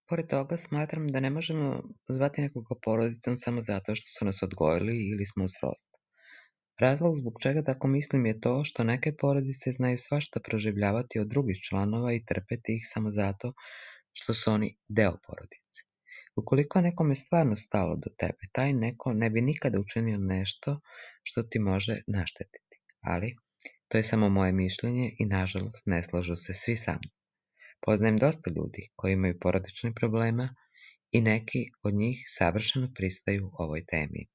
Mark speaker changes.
Speaker 1: Pored toga, smatram da ne možemo zvati nekoga porodicom samo zato što su nas odgojili ili smo u srodstvu. Razlog zbog čega tako mislim je to što neke porodice znaju svašta proživljavati od drugih članova i trpeti ih samo zato što su oni deo porodice. Ukoliko je nekome stvarno stalo do tebe, taj neko ne bi nikada učinio nešto što ti može naštetiti. Ali, to je samo moje mišljenje i nažalost ne slažu se svi sa mnom. Poznajem dosta ljudi koji imaju porodičnih problema i neki od njih savršeno pristaju ovoj temi.